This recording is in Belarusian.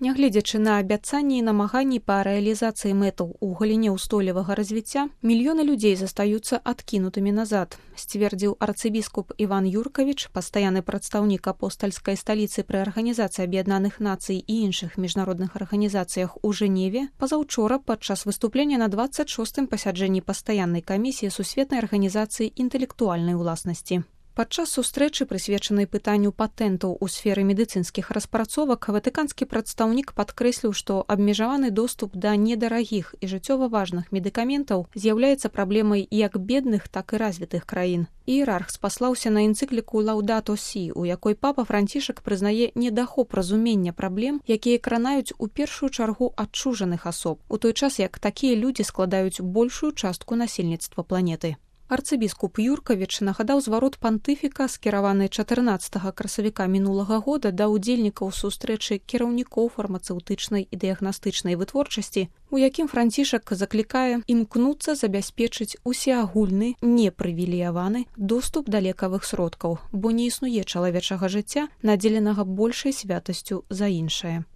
Нягледзячы на абяцанні і намаганні па рэалізацыі мэтаў у галіне ўстойлівага развіцця, мільёны людзей застаюцца адкінутымі назад, сцвердзіў арцыбіскуп Іван Юркавіч, пастаянны прадстаўнік апостальскай сталіцы пры Арганізацыі Аб'яднаных Нацый і іншых міжнародных арганізацыях у Жэневе пазаўчора падчас выступлення на 26-м пасяджэнні пастаяннай камісіі Сусветнай арганізацыі інтэлектуальнай уласнасці. Падчас сустрэчы, прысвечанай пытанню патэнтаў у сферы медыцынскіх распрацовак, ватыканскі прадстаўнік падкрэсліў, што абмежаваны доступ да недарагіх і жыццёва важных медыкаментаў з'яўляецца праблемай як бедных, так і развітых краін. Іерарх спаслаўся на энцыкліку «Лаўдато Сі», у якой папа Францішак прызнае недахоп разумення праблем, якія кранаюць у першую чаргу адчужаных асоб, у той час як такія людзі складаюць большую частку насельніцтва планеты. Арцыбіскуп Юркавіч нагадаў зварот пантыфіка, скіраваны 14 красавіка мінулага года да ўдзельнікаў сустрэчы кіраўнікоў фармацэўтычнай і дыягнастычнай вытворчасці, у якім Францішак заклікае імкнуцца забяспечыць усеагульны, непрывілеяваны доступ да лекавых сродкаў, бо не існуе чалавечага жыцця, надзеленага большай святасцю за іншае.